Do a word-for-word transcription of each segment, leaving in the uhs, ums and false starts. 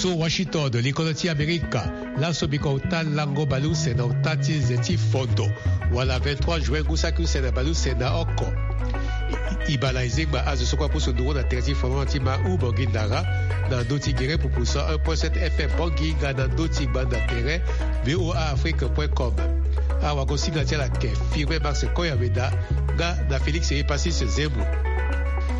So Washington, likolo ti Amerika. Laso biko ota lango baleuse na ota ti nze ti fondo, wala vingt-trois juin ngu saki use na baleuse na oko. I, i bala ezengba azo so kue apusu nduru na tere ti fondo na ti ma u Bongi Ndara, na ndö ti gere pupu cent un point sept F M Bongi nga na ndö ti gbanda tere V O A Afrique point com. Awagosinga ti ala ke Firmin Max Koyaweda nga na Félix Epasis Zembo.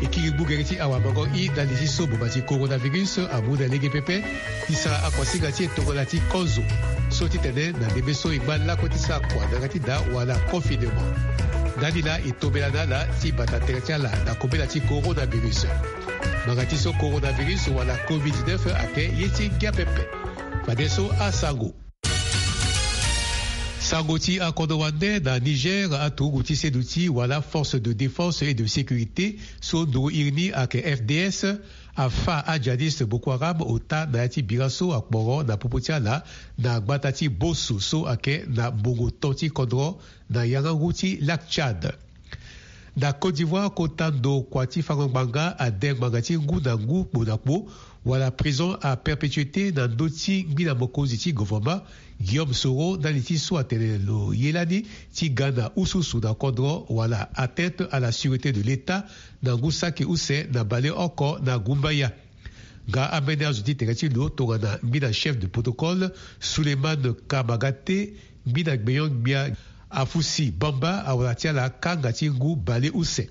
E kiri gbu gere ti awamango i ndali ti so boma ti coronavirus amu na lege pepe. Ti sara akuasinga ti e tongana ti kozo so titene na ndembe so e ngba lakue ti sara kua na yanga ti daa wala confinement. Ndani laa e tombela na ala ti bata tere ti ala na kobela ti coronavirus. Ngbanga ti so coronavirus wala covid dix-neuf ayeke ye ti ngia pepe. Fadeso asango. Sango ti akodro wande na Niger, aturugu ti seduti wala Force de Défense et de Sécurité so nduru iri ni ayeke F D S, afa ajihadiste Boko Haram ota na ya ti bira so akporo na popo ti ala na gbata ti Bosso so ayeke na mbongo to ti kodro na yanga ngu ti Lac Tchad. Na Côte d'Ivoire, kota ndo kua ti fango ngbanga ade ngbanga ti ngu na ngu kpo na kpo, wala prison à perpétuité na ndö ti ngbina mokonzi ti gouvernement, Guillaume Soro, ndali ti so atene lo ye lani ti ga na ususu na kodro wala atteinte à la sûreté de l'État na ngu saki use na baleoko na gumbaya. Nga ambeni azo ti tere ti lo tongana ngbina chef de protocole Souleymane Kamagate, ngbina gbenyo-gbia Afusi Bamba awara ti ala kanga ti ngu baleuse.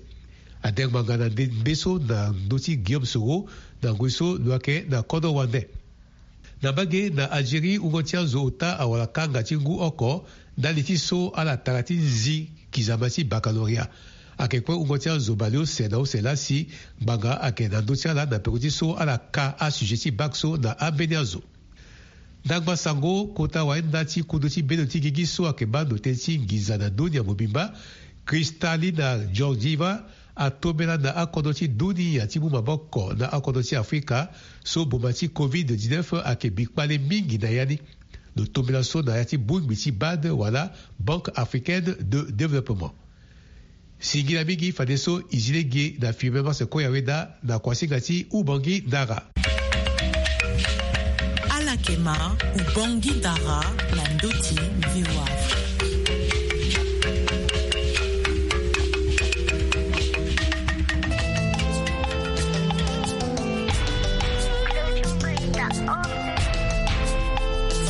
Ade ngbanga na ndembe so na ndö ti Guillaume Soro na ngoi so lo yeke na kodro wande. Na mbage na Algérie, wungo ti azo ota awara kanga ti ngu oko ndali ti so ala tara ti nzi kizama ti baccalauréat. Ayeke kue wungo ti azo baleuse na use laa si ngbanga ayeke na ndö ti ala na peko ti so ala ka asujet ti bac so na ambeni azo. Ndangba sango, kota wayenda ti kundu ti bendo ti gigi so ayeke baa ndo tënë ti nginza na ndoni ya mobimba, Kristalina Georgieva, atombela na akodro ti dunia ti mu maboko na akodro ti Afrika so boma ti covid dix-neuf ayeke bi kpale mingi na ya ni. Lo tombela so na ya ti bongbi ti bad wala Banque Africaine de Développement. Singila mingi fadeso e zi lege na Firmin Max Koyaweda na kuasinga ti Ubongi Ndara. Ala yeke ma Ubongi Ndara na ndö ti V O A Afrique.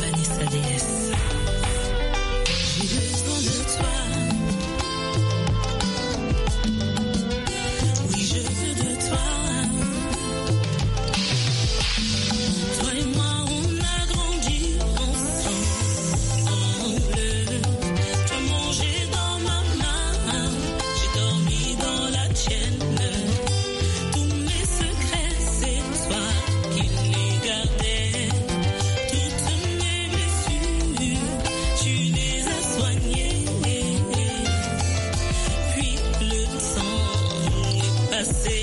Vanessa D S. J'ai besoin de toi. Oui, je veux de toi. Toi et moi, on a grandi ensemble. Tu as mangé dans ma main, j'ai dormi dans la tienne. Tous mes secrets, c'est toi qui les gardais. Toutes mes blessures, tu les as soignées. Puis le temps est passé.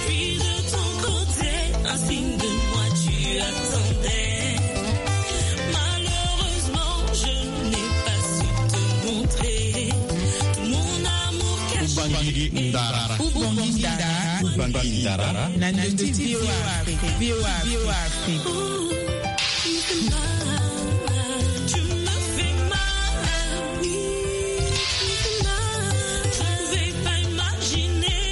Puis de ton côté, un signe de moi, tu attendais. Malheureusement, je n'ai pas su te montrer tout mon amour caché. Ubangiri Ndara. Ubangiri Ndara. Ubangiri Ndara. Na ndö ti V O A Afrique. V O A Afrique. Tu me fais mal. Tu me fais mal. Je ne pouvais pas imaginer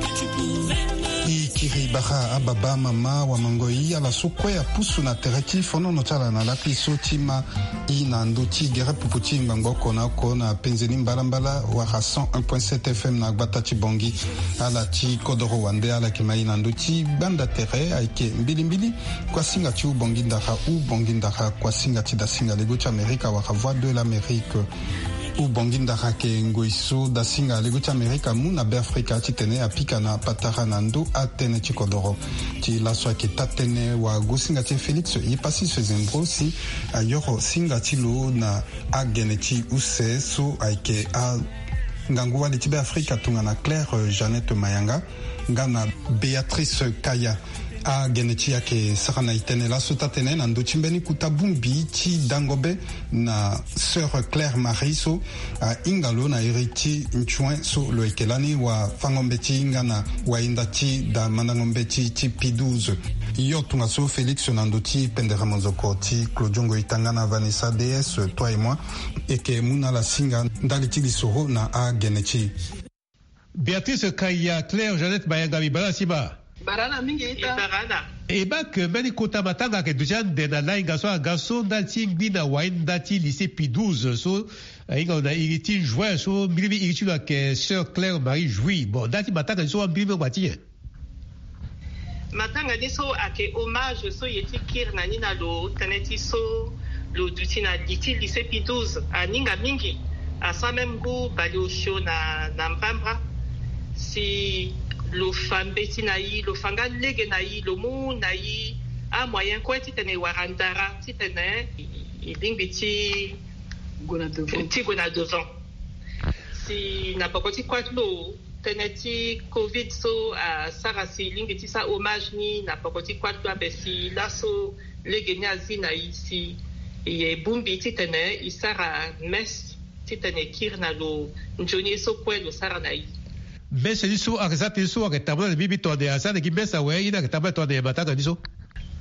que tu pouvais me... I kiri bara ababa, mama, wamangoi, ala so kue apusu na tere ti fonono ti ala na lakui so ti ma i na ndö ti gere pupu ti ngbangbo oko na oko na penze ni mbalambala wala cent un point sept F M na gbata ti Bongi. Ala ti kodoro wande ala yeke ma i na ndö ti gbanda tere ayeke mbilimbili. Kuasinga ti Ubongi Ndara, Ubongi Ndara, kuasinga ti dasinga lego ti Amerika wala Voix de l'Amérique. Ubongi Ndara ayeke ngoi so dasinga lego ti Amerika amu na Beafrika titene apika na patara na ndö atënë ti kodoro. Ti laso ayeke taa-tënë wagosinga ti e Félix Epasis Zembro si ayoro singa ti lo na agene ti use so ayeke angangu wali ti Beafrika tongana Claire Jeannette Mayanga nga na Béatrice Kaya. Agene ti e ayeke sara na e tënë laso taa-tënë na ndö ti mbeni kota bongbi ti dango be na sœur Claire Marie so ahinga lo na iri ti nzuen so lo yeke lani wafango-mbeti nga na wayenda ti da mandango-mbeti ti P douze. Yo tongaso Félix na ndo ti pendere monzoko ti Claudio Ngoitanga na Vanessa D S toi et moi. Eke mu na ala singa ndali ti lisoro na agene ti. Béatrice Kaya, Claire Jeannette Mayanga, mbi bara na sima. Bara na mingi ita. Mbi bara na. E baa ke mbeni kota matanga ayeke duti ande na lahinga so aga so ndali ti ngbi na wahinda ti lycée Pie douze so ahinga na iri ti juin so mbirimbiri iri ti lo ayeke sœur Claire Marie Jouy. Bon, ndali ti matanga ni so ambirimbiri angba ti nyen? Matanga ni so ayeke hommage so e ye ti kiri na ni na lo tënë ti so lo duti na li ti lycée Pie douze. Aninga mingi, asara même ngu baleosio na, na mbamba. Si lo fa mbeti na e, lo fa nga lege na e, lo mu na e amoyen kue titene e wara ndara titene e, e lingbi ti gue na devant. Ti gue na devant. Si na poko ti kuâ ti lo, tënë ti covid so asara si e lingbi ti sara hommage ni na poko ti kuâ ti lo ape si laso lege ni azi na e si e bongbi titene e sara messe titene e kiri na lo nzoni ye so kue lo sara na e. Messe ni so ayeke za tënë so ayeke tambula na mbi mbi tongana asara na gi messe awe ye ni ayeke tambula tongana matanga ni so.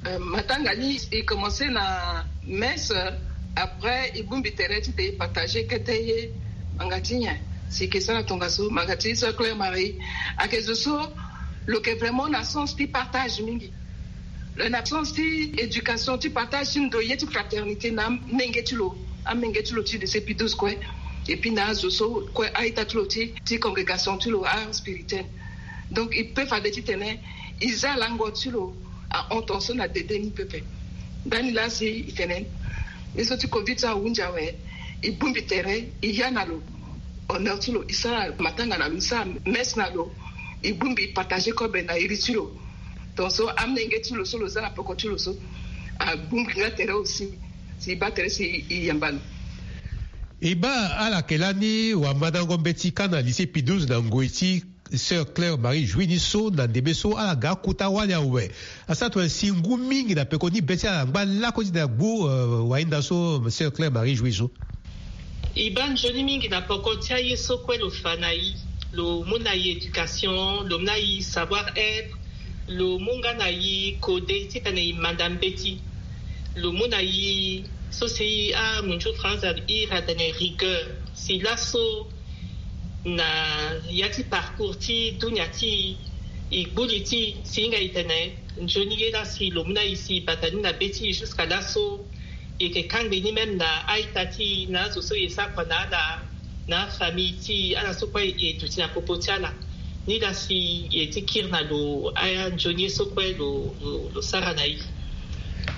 Euh, matanga ni e commencé na messe, après e bongbi tere titene e partager kete ye. Manga ti nyen? Si e ke sara tongaso, manga ti sœur Claire Marie ayeke zo so lo yeke vraiment na sens ti partage mingi. Lo na sens ti éducation, ti partage ti ndo ye ti fraternité na amenge ti lo, amenge ti lo ti lycée Pie douze kue. Et puis na azo so kue, a-ita ti lo ti, ti congrégation ti lo, a spirituel. Donc e peut fade titene e za lango ti lo ahon tongaso na dede ni pepe. Ndani laa si e tene ye so ti covid so ahunzi awe, e bongbi tere e ya na lo, honneur ti lo, e sara matanga na lo, e sara messe na lo, e bongbi e partager kobe na iri ti lo. Tongaso amenge ti lo so lo za na poko ti lo so abongbi nga tere aussi. Si e baa tere si e yamba lo. E baa ala yeke lani wamandango mbeti kâ na lycée Pie douze na ngoi ti sœur Claire Marie Jouy ni so na ndembe so ala ga akota wali awe. Asara tongana si ngu mingi na peko ni be ti ala angba lakue ti tene agbu, euh, wahinda so sœur Claire Marie Jouy so. E baa nzoni mingi na poko ti aye so kue lo fa na e. Lo mu na e éducation, lo mu na e savoir être, lo mu nga na e kode titene e manda mbeti. Lo mu na e so si amunzu France iri atene rigueur. Si laso na ya ti parcours ti dunia ti e, e gbu li ti e si hinga e tene nzoni ye laa si lo mu na e si e bata ni na be ti e jusqu'à laso. E yeke kangbi ni même na a-ita ti e, na azo so e sara kua na ala, na afamille ti e, ala so kue e duti na popo ti ala. Ni laa si e ye ti kiri na lo, anzoni ye so kue lo, lo, lo sara na e.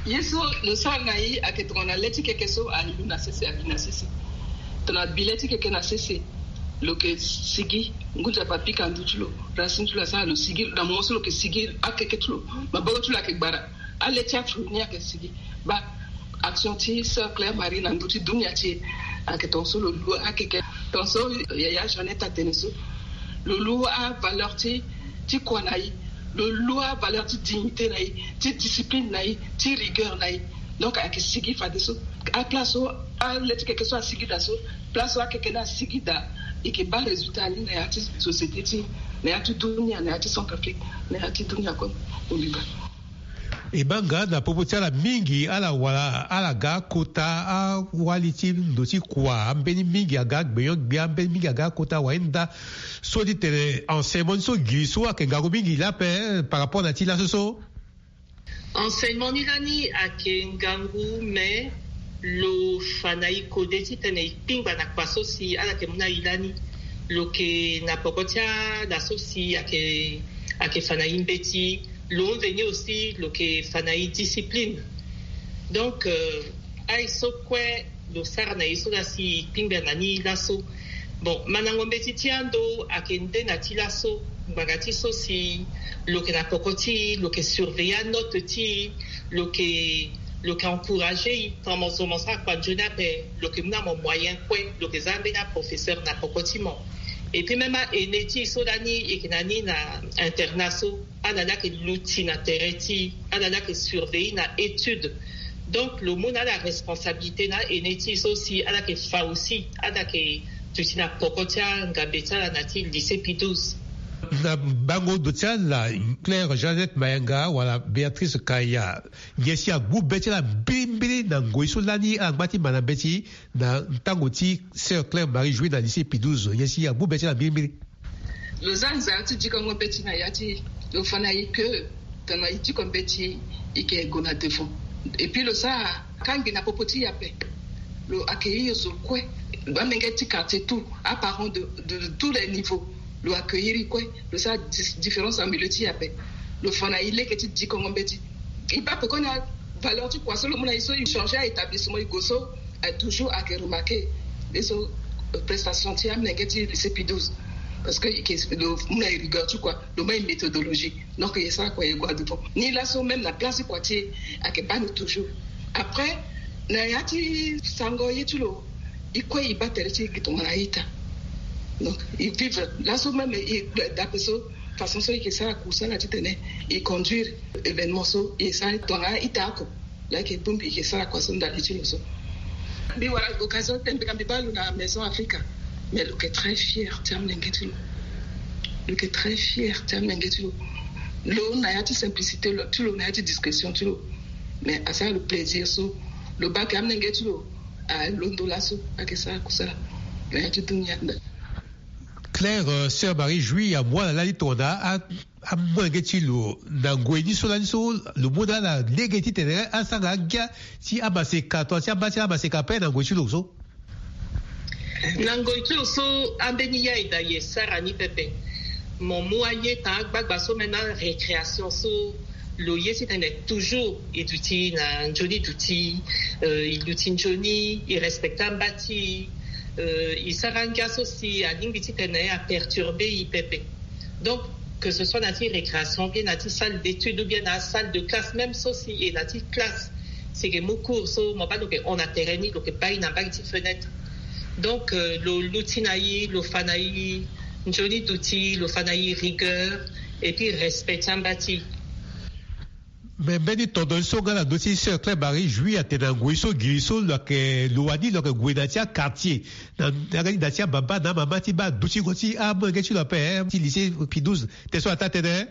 Ye so lo sara na e ayeke tongana le ti keke so alu na sese, abi na sese. Tongana bi le ti keke na sese, lo yeke sigi, ngu nzapa apika ndö ti lo, racine ti lo asara lo sigi, na moment so lo yeke sigi, akeke ti lo, maboko ti lo ayeke gbara. Ale ti afulu ni ayeke sigi. Baa, action ti sœur Claire Marie na ndö ti dunia ti e ayeke tongaso lo lu akeke. Tongaso yaya Jeannette atene so, lo lu avaleur ti, ti kua na e, lo lu avaleur ti dignité na e, ti discipline na e, ti rigueur na e. Donc ayeke sigi fadeso. Aplace so ale ti keke so asigi daa so, place so akeke ni asigi daa, e yeke baa résultat ni na ya ti société ti e, na ya ti dunia, na ya ti Centrafrique, na ya ti dunia kue mobimba. E baa nga na popo ti ala mingi ala wara, ala ga akota awali ti ndo ti kua, ambeni mingi aga agbenyo-gbia, ambeni mingi aga akota wahinda so ti tene enseignement ni so gi so ayeke ngangu mingi laa ape, eh, par rapport na ti laso so. Enseignement ni lani ayeke ngangu, mais lo fa na e kode titene e kpingba na kua so si ala yeke mu na e lani. Lo yeke na poko ti ala so si ayeke, ayeke fa na e mbeti. Lo mveni aussi lo yeke fa na e discipline. Donc, euh, aye so kue lo sara na e so laa si e kpingba na ni laso. Bon, mandango mbeti ti ando ayeke nde na ti laso. Ngbanga ti so si lo yeke na poko ti e, lo yeke surveiller anote ti e, lo yeke, lo yeke encourager e. Tongana mo zo mo sara kua nzoni ape, lo yeke mu na mo moyen kue, lo yeke za ambeni aprofesseur na poko ti mo. Et puis même a-aîné ti e so lani e yeke na ni na internat so, ala laa ayeke luti na tere ti e, ala laa ayeke surveiller na étude. Donc lo mu na ala responsabilité na a-aîné ti e so si ala yeke fa aussi, ala yeke duti na poko ti angambe ti ala na ti lycée Pie douze. Na bango ndo ti ala, Claire Jeannette Mayanga wala Béatrice Kaya, nyen si agbu be ti ala mbilimbili na ngoi so lani ala ngba ti ma na mbeti na ntango ti Sœur Claire Marie Jouy na lycée Pie douze? Nyen si agbu be ti ala mbilimbili? Lo za nzara ti dikongo mbeti na ya ti lo fa na e ke tongana e diko mbeti e ke gue na devant. Et puis lo sara kangbi na popo ti e ape. Lo accueillir zo kue, amenge ti quartier tout, aparents de, de tous les niveaux. Lo accueillir e kue, lo sara dis- différence en milieu ti e ape. Lo fa na e lege ti dikongo mbeti. E baa peko na valeur ti kua so lo mu na e so e changer a établissement e gue so, a toujours ayeke remarquer. E so, euh, prestation ti amolenge ti lycée Pie douze. Parce que e ke lo mu na e rigueur ti kua, lo mu na e méthodologie. Donc e sara kua e gue adubo ni laso même na place ti kua ti e ayeke baa ni toujours. Après na ya ti sango ye ti lo, e kue e baa tere ti e gi tongana a-ita. Donc e vivre laso même e dape so, façon so e ke sara kusala titene e conduire événement so e sara tongana a-ita oko. Laa e ke bongbi e ke sara kua so ndali ti lo so. Mbi wara occasion ti tene mbi ga mbi baa lo na Maison Africa. Mais lo yeke très fier ti amolenge ti lo. Lo yeke très fier ti amolenge ti lo. Lo na ya ti simplicité lo ti lo na ya ti discrétion ti lo. Mais asara lo plaisir so lo baa ke amolenge ti lo alondo laso ayeke sara kusala na ya ti dunia. Claire, euh, Sœur Marie Jouy amu ala lani tongana a- amolenge ti lo na ngoi ni so lani so lo mu na ala lege titene asara angia ti amaseka to ti amba ti amaseka ape na ngoi ti lo so. Na ngoi ti lo so ambeni ya e daa e sara ni pepe. Mo mu aye taa gbagba so me na récréation so lo ye titene toujours e duti na nzoni duti, euh, e luti nzoni, e respecter amba ti e, euh, e sara angia so si alingbi titene aperturber e pepe. Donc que ce soit na ti récréation bien na ti salle d'étude ou bien na salle de classe, même so si e na ti classe si e ke mu cours so mo baa lo ke hon na tere ni lo ke baa e na mbage ti fenêtre. Donc euh, lo luti na e, lo fa na e nzoni duti, lo fa na e rigueur et puis respect ti amba ti e. Mais mbeni tondo ni so nga na ndö ti Sœur Claire Marie Jouy atene na ngoi so giri so lo yeke lo wani lo yeke gue na ti aquartier na na ti ababa na amama ti baa adutingo ti amolenge ti lo ape ti lycée Pie douze. Te so ataa tënë.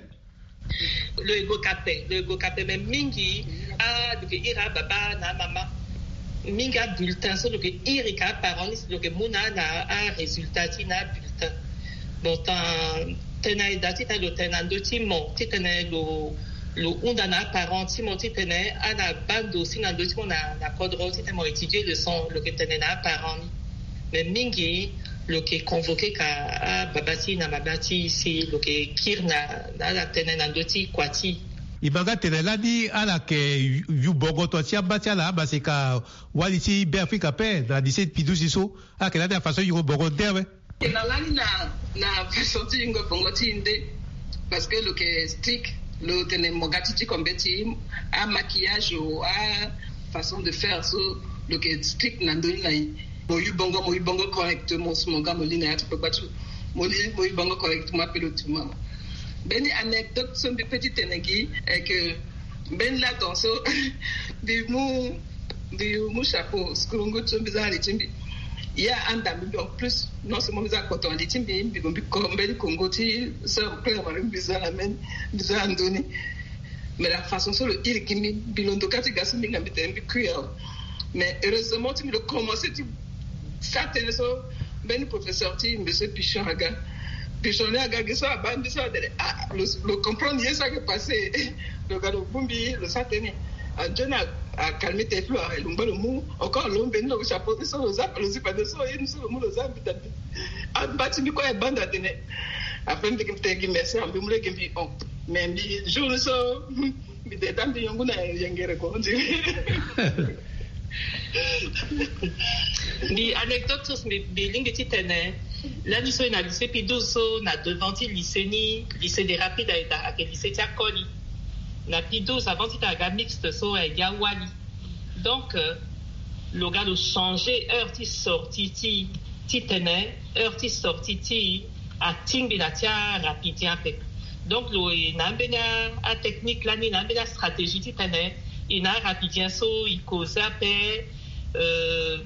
Lo e gue ka ape, lo e gue ka ape, mais mingi a lo ke iri ababa na amama. Mingi abulletin so lo ke iri ka aparent ni si lo ke mu na na arésultat ti na abulletin. Bon, tënë e daa titene lo tene na ndö ti mo titene lo lo hunda na aparent ti mo titene ala baa ndo si na ndö ti mo na na kodro titene mo étudier leçon lo ke tene na aparent ni. Mais mingi lo ke convoquer ka ababa ti na mama ti si lo ke kiri na na ala tënë na ndö ti kua ti. E ma nga tene lani ala yeke yu bongo to ti amba ti ala amaseka wali ti Beafrika ape na lycée Pie douze so. Ala yeke lani afaçon yungo bongo nde awe. E na lani na na façon ti yungo bongo ti e nde. Parce que lo yeke strict, lo tene mo ga ti diko mbeti, amaquillage o afaçon de faire so lo yeke strict na ndö ni na e. Mo yu bongo, mo yu bongo correctement si mo ga mo li na ya ti kpakpa ti lo. Mo li, mo yu bongo correctement ape lo tu mama. Mbeni anecdote so mbi pe ti tene gi est que mbeni ladan so mbi mu mbi mu chapeau, skulungu so mbi za na li ti mbi. Ya anda mbi mbi en plus non seulement mbi za kpoto na li ti mbi, mbi ko mbi ko mbeni kongo ti sœur Claire Marie mbi za na mbeni mbi za na ndö ni. Mais la façon so lo iri gi mbi, mbi londo ka ti ga so mbi hinga mbi tene mbi kui awe. Mais heureusement ti mbi lo commencer ti sa tënë so mbeni professeur ti monsieur Pichon aga. Pichon ni aga gi so abaa mbi so atene ah lo lo comprendre ye so ayeke passer. Lo ga lo bongbi lo sa tënë. Anzoni a a calmer tene ti lo awe lo ngba lo mu encore lo mbeni lo chapeau ti so lo za lo zi pade so ye ni so lo mu lo za mbi ta mbi. Amba ti mbi kue abanda tene. Après mbi tene gi merci mbi mu lege mbi hon. Mais mbi jour ni so mbi de daa mbi yongu na yengere ko on dirait. Mbi anecdote so mbi mbi lingbi ti tene. Lani so e na lycée Pie douze so na devant ti lycée ni, lycée des rapides aye daa ayeke lycée ti akoli. Na Pie douze avant ti tene aga mixte so aye gi awali. Donc euh, lo ga lo changer heure ti sortie ti ti tene heure ti sortie ti atingbi na ti arapidien ape. Donc lo e na ambeni atechnique lani na ambeni astratégie ti tene e na arapidien so e cause ape. Euh,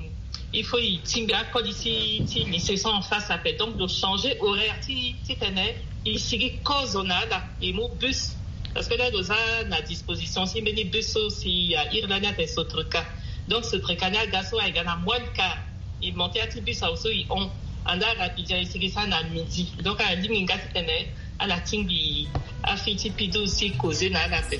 Il faut e tingbi akoli ti ti lycée so en face ape. Donc lo changer horaire ti ti tene e sigi kozo na ala, e mu bus. Parce que là lo za na disposition ti mbeni bus so si a iri lani ate Sotroka. Donc Sotroka ni aga so aye ga na moile quart, e monter ya ti bus awe so e hon. Anda rapidien e sigi sa na midi. Donc alingbi nga ti tene ala tingbi afi ti P douze ti koze na ala ape.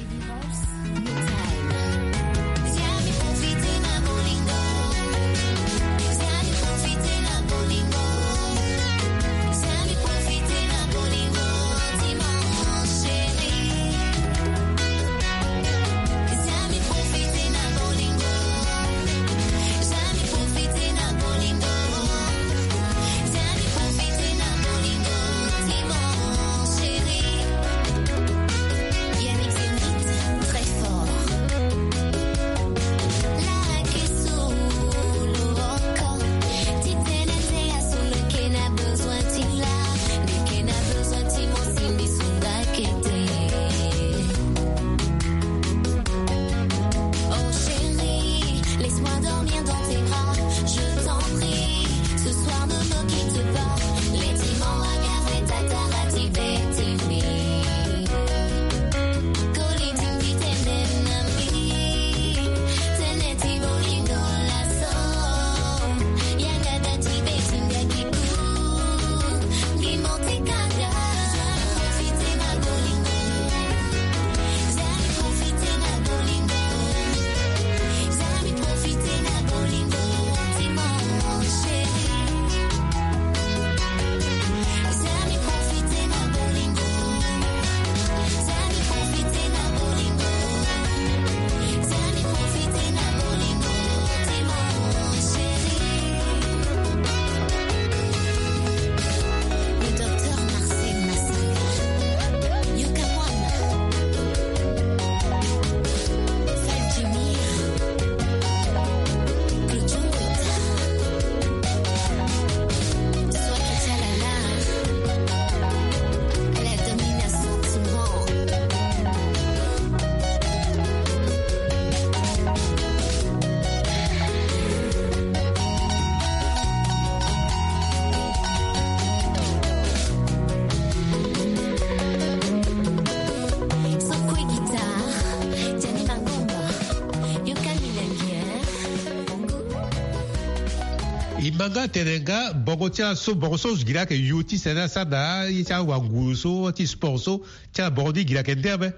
E ma nga tene nga bongo ti aso bongo so gi laa ayeke yu ti sene asara na ye ti awanguru so ti sport so ti ala bongo ni gi laa ayeke nde ape.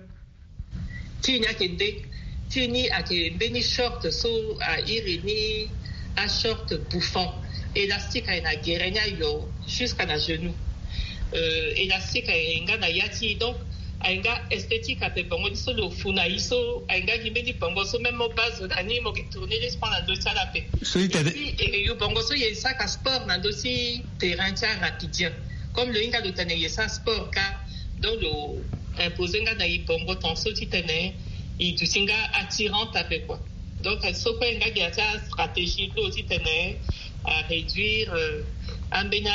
Ti ni ayeke nde. Ti ni ayeke mbeni short so a iri ni ashort bouffant. Élastique aye na gere ni ayo jusqu'à na genou. Élastique aye nga na ya ti e donc aye nga esthétique ape. Bongo ni so lo fu na ye so aye nga gi mbeni bongo so même mo baa zo na ni mo ke tourner l'esprit na ndö ti ala ape. So ti tene e yo bongo so ye saka sport na ndö ti terrain ti arapidien. Comme lo hinga lo tene ye sara sport ka, donc lo imposer nga na e bongo ton so ti tene e duti nga attirante ape quoi. Donc so kue nga gi ya ti astratégie lo ti tene a réduire ambeni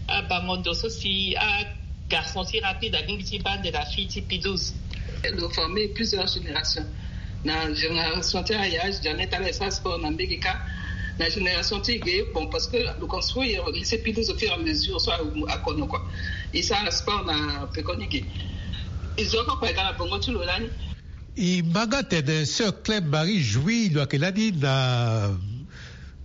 abango ndo so si agarçon ti rapide alingbi ti baa nde na fille ti P douze. Lo former plusieurs générations. Na génération ti aya jamais tala e sara sport na mbege ka. Na génération ti e ge bon parce que lo construire lycée P douze au fur et à mesure so akono quoi. E sara sport na pekoni ge. E zo oko kue aga na bongo ti lo lani. E ma nga tene sœur Claire Marie Jouy lo yeke lani na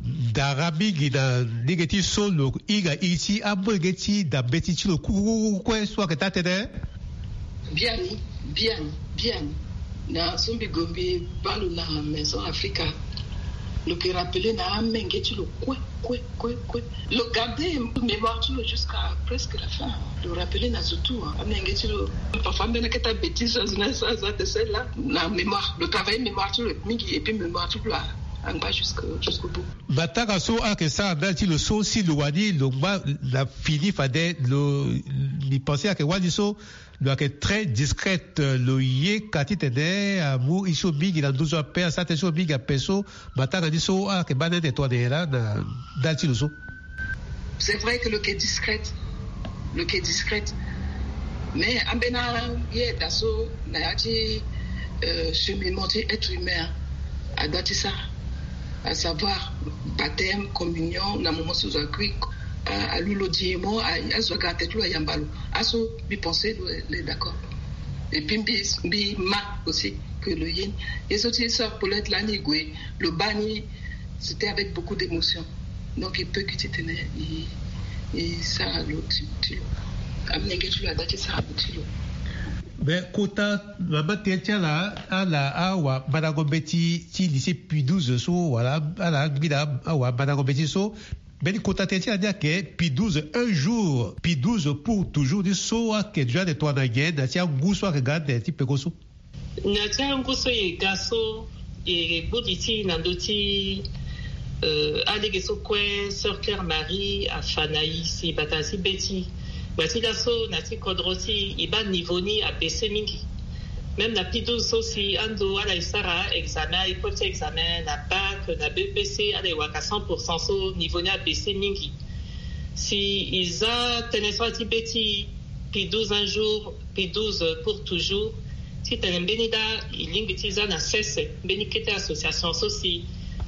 ndara mingi na ndenge ti so lo hinga iri ti amolenge ti da mbeti ti lo kue so ayeke taa tënë. Bien, bien, bien. Na so mbi gue mbi baa lo na Maison Africa, lo ke rappeler na amenge ti lo kue kue kue kue. Lo garder mémoire ti lo jusqu'à presque la fin. Lo rappeler na zo tout, hein. Amenge ti lo. Parfois mbeni akete bêtise azo na sa aza de celle là na mémoire. Lo travailler mémoire ti lo mingi et puis mémoire ti lo angba jusqu'au bout. Matanga so ayeke sara ndali ti lo so si lo wani lo ngba na fini fade lo. Mbi pense ayeke wani so lo yeke très discrète, lo ye ka titene amu iri so mingi na nduzu ape, asara tënë so mingi ape so. Matanga ni so ayeke baa nene tongana nyen laa na ndali ti lo so. C'est vrai que lo yeke discrète. Lo yeke discrète. Mais ambeni aye daa so na ya ti cheminement ti être humain adaa ti sara. À savoir baptême, communion, na moment so zo akui, alu lo di mo azo aga ate ti lo ayamba lo. Aso mbi pense lo est d'accord. Et puis mbi mbi ma aussi que lo ye ni. Ye so ti sœur Paulette lani e gue lo baa ni, c'était avec beaucoup d'émotion. Donc e peut gi titene e sara lo ti lo. Amolenge ti lo ada ti sara lo ti lo. Mais kota mama tënë ti ala ala awamandango mbeti ti lycée Pie douze so wala ala angbi na awamandango mbeti so. Mbeni kota tënë ti ala ni ayeke Pie douze un jour, Pie douze pour toujours, ni so ayeke déjà ande tongana nyen na ti angu so ayeke ga ande ti peko so? Na ti angu so e ga so e gbu li ti e na ndö ti alege so kue sœur Claire Marie afa na e si bata na ti be ti e. Ngbanga ti laso na ti kodro ti e e baa niveau ni abaisse mingi. Même na Pie douze so si ando ala e sara examen, épreuve ti examen na bac, na B E P C, ala e wara cent pour cent so niveau ni abaisse mingi. Si e za tënë so ala ti be ti e, Pie douze un jour, Pie douze pour toujours, titene mbeni laa e lingbi ti za na sese mbeni kete association so si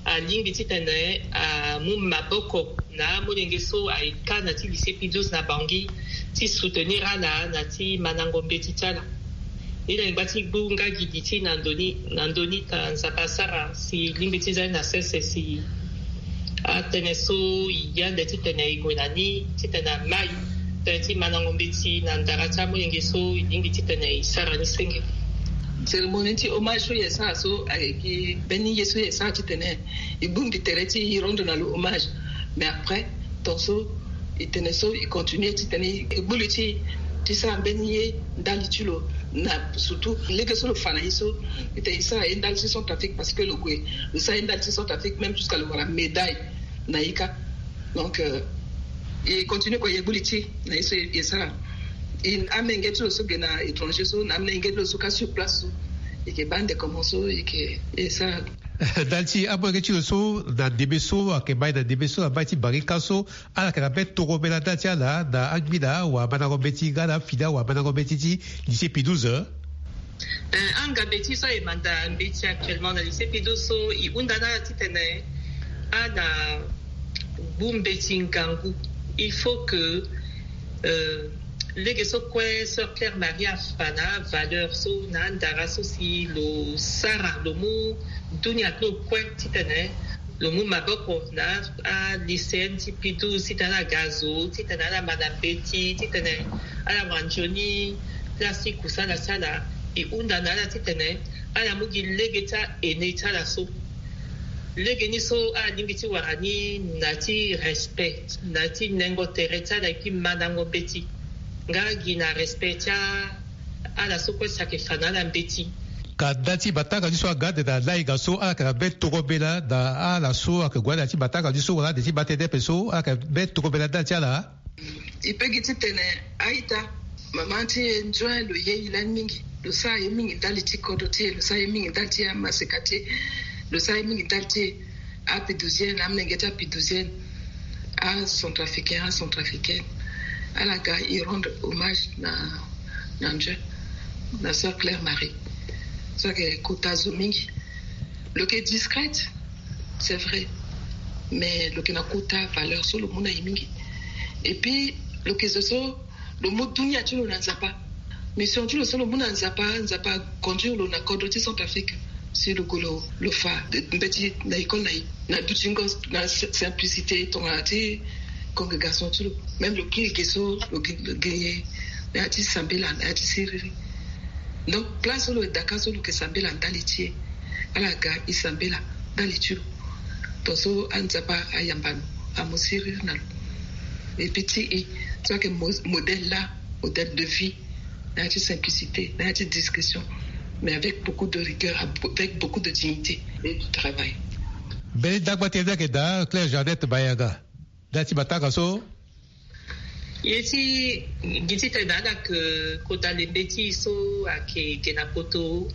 alingbi titene amu maboko na amolenge so aye ka na ti lycée Pie douze na Bangui, ti soutenir ala na ti mandango mbeti ti ala. Ni laa e ngba ti gbu nga gi li ti e na ndö ni, na ndö ni ta Nzapa asara si e lingbi ti za ni na sese si atënë so e ye ande titene e gue na ni titene amai tënë ti mandango mbeti na ndara ti amolenge so e lingbi titene e sara ni senge. Cérémonie ti hommage so e sara so ayeke mbeni ye so e sara titene e bongbi tere ti e rendre na lo hommage. Mais après, tongaso e tene so e continue titene e gbu li ti e ti sara mbeni ye ndali ti lo, na surtout lege so lo fa na e so, titene e sara ye ndali ti Centrafrique, parce que lo gue lo sara ye ndali ti Centrafrique même jusqu'à lo wara médaille na e ka. Donc e continue kue e gbu li ti e na ye so e sara. Amolenge ti lo so ge na étranger so na amolenge ti lo so ka sur place so, e yeke baa ande comment so e yeke e sara. Ndali ti amolenge ti lo so na ndembe so ayeke mai na ndembe so na mai ti Bangui ka so, ala yeke na be tongombe na ndali ti ala na angbi na awamandango mbeti nga na afini awamandango mbeti ti lycée Pie douze? Angambe ti so aye manda mbeti actuellement na lycée Pie douze so e hunda na ala titene ala gbu mbeti ngangu. Il faut que lege so kue sœur Claire Marie afa na avaleur so na andara so si lo sara lo mu dunia ti lo kue titene lo mu maboko na alycéenne ti Pie douze titene ala ga zo titene ala ma na mbeti titene ala wara nzoni place ti kusala ti ala. E hunda na ala titene ala mu gi lege ti a-aîné ti ala so. Lege ni so ala lingbi ti wara ni na ti respect, na ti nengo tere ti ala, et puis mandango mbeti nga gi na respect ti a ala so kue si ayeke fa na ala mbeti. Ka ndali ti matanga ni so aga ande na lainga so ala yeke na be tongombe laa na ala so ayeke gue ande na ti matanga ni so wala ande ti matene ape so ala yeke na be tongombe laa ndali ti ala? E peut gi titene a-ita, mama ti e nzoni lo ye e lani mingi, lo sara ye mingi ndali ti kodro ti e, lo sara ye mingi ndali ti amaseka ti e, lo sara ye mingi ndali ti e. A-Pie douzienne, amolenge ti a-Pie douzienne, a-Centrafricain, a-Centrafricaine, ala ga e rendre hommage na na nzoni na sœur Claire Marie. So ayeke kota zo mingi. Lo yeke discrète, c'est vrai, mais lo yeke na kota valeur so lo mu na e mingi. Et puis lo yeke zo so lo mu dunia ti lo na Nzapa. Mission ti lo so lo mu na Nzapa, Nzapa aconduire lo na kodro ti Centrafrique. Si lo gue lo fa mbeti na école na e na dutingo, na simplicité tongana ti congrégation ti lo. Même lo kiri ge so lo ge na ya ti sambela, na ya ti siriri. Donc place so lo daka so lo yeke sambela ndali ti e, ala ga e sambela ndali ti lo. Tongaso anzapa ayamba lo, amu siriri na lo. Et puis ti e so ayeke modèle laa, modèle de vie, na ya ti simplicité, na ya ti discrétion, mais avec beaucoup de rigueur, avec beaucoup de dignité et de travail. Mbeni dagba ti e ni ayeke daa Claire Jeannette Bayaga. Nda ti matanga so. Ye ti gi titene ala yeke kota lembe ti e so ayeke ge na poto,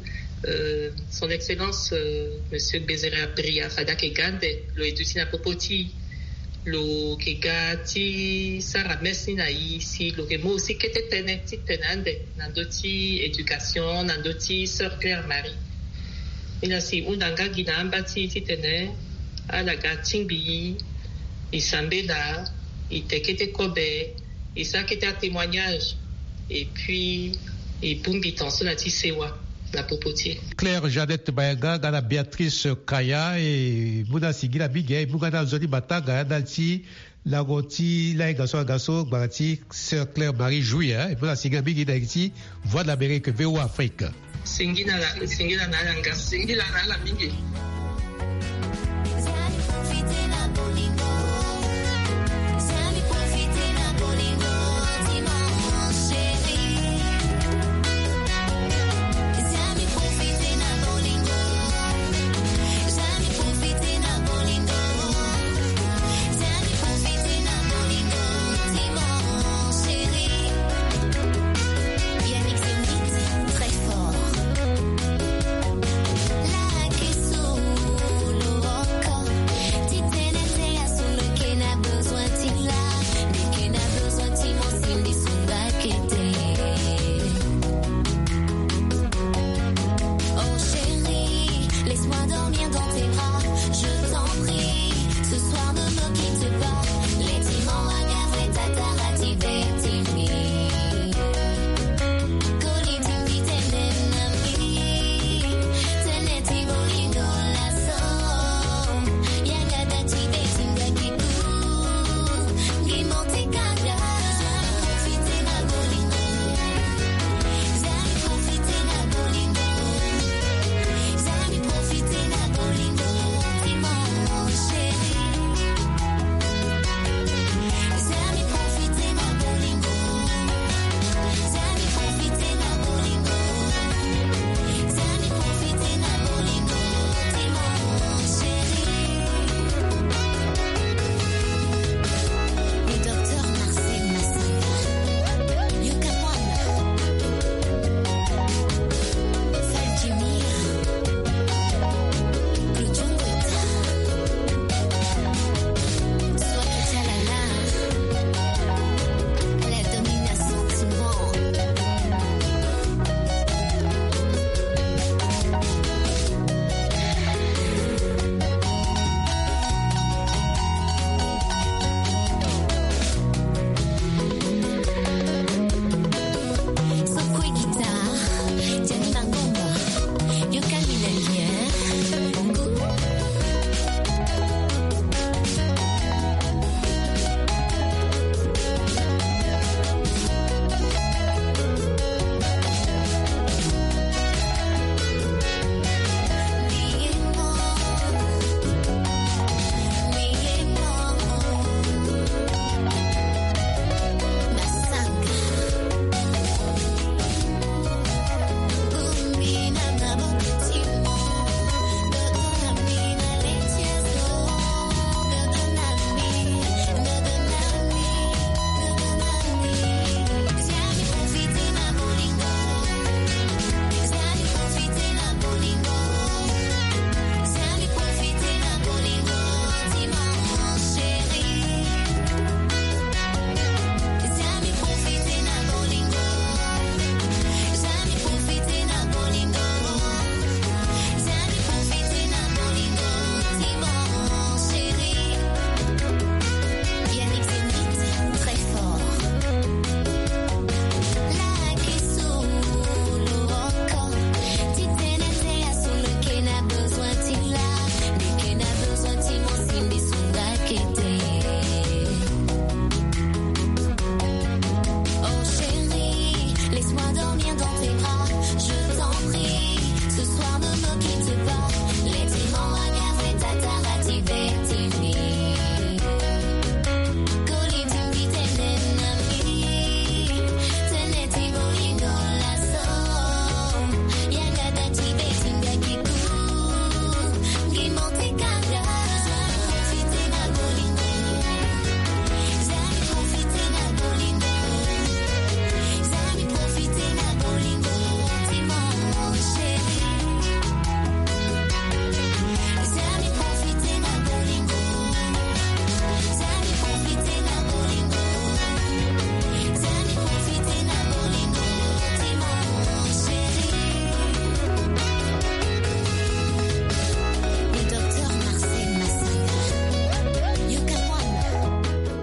son excellence monsieur Gbezere Bria fade ayeke ga ande, lo ye duti na popo ti e. Lo yeke ga ti sara messe ni na e si lo yeke mu aussi kete tënë ti tene ande na ndö ti éducation, na ndö ti sœur Claire Marie. Ni laa si e hunda nga gi na amba ti e titene Ala ga tingbi i, i sambela, i te kete kobe, i sara kete atémoignage, et puis i bongbi tension na ti sewa na popo ti e. Claire Jeannette Mayanga nga na Béatrice Kaya, e mu na singila mingi, e mu nga na nzoni matanga na ti lango ti lainga so aga so gbara ti sœur Claire Marie Jouy, e mu na singila mingi na yeke ti Voix de l'Amérique, V O A Afrique. Singila na, singila na ala nga, singila na ala mingi.